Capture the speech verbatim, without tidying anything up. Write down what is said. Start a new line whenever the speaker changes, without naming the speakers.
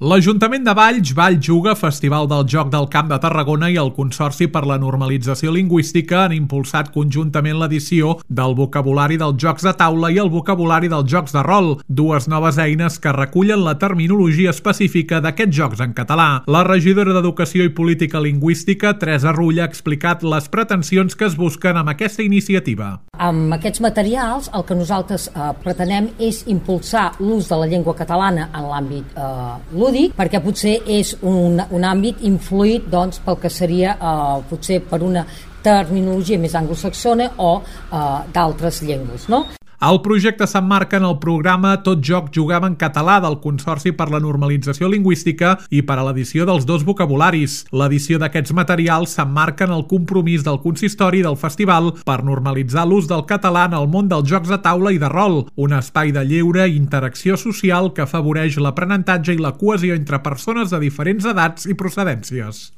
L'Ajuntament de Valls, Valls Juga, Festival del Joc del Camp de Tarragona i el Consorci per la Normalització Lingüística han impulsat conjuntament l'edició del vocabulari dels jocs de taula i el vocabulari dels jocs de rol, dues noves eines que recullen la terminologia específica d'aquests jocs en català. La regidora d'Educació i Política Lingüística, Teresa Rull, ha explicat les pretensions que es busquen amb aquesta iniciativa.
Amb aquests materials el que nosaltres eh, pretenem és impulsar l'ús de la llengua catalana en l'àmbit eh, lúdic, perquè potser és un, un àmbit influït doncs, pel que seria eh, potser per una terminologia més anglosaxona o eh, d'altres llengües, no?
El projecte s'emmarca en el programa Tot joc juguem en català del Consorci per la Normalització Lingüística i per a l'edició dels dos vocabularis. L'edició d'aquests materials s'emmarca en el compromís del consistori del festival per normalitzar l'ús del català en el món dels jocs de taula i de rol, un espai de lleure i interacció social que afavoreix l'aprenentatge i la cohesió entre persones de diferents edats i procedències.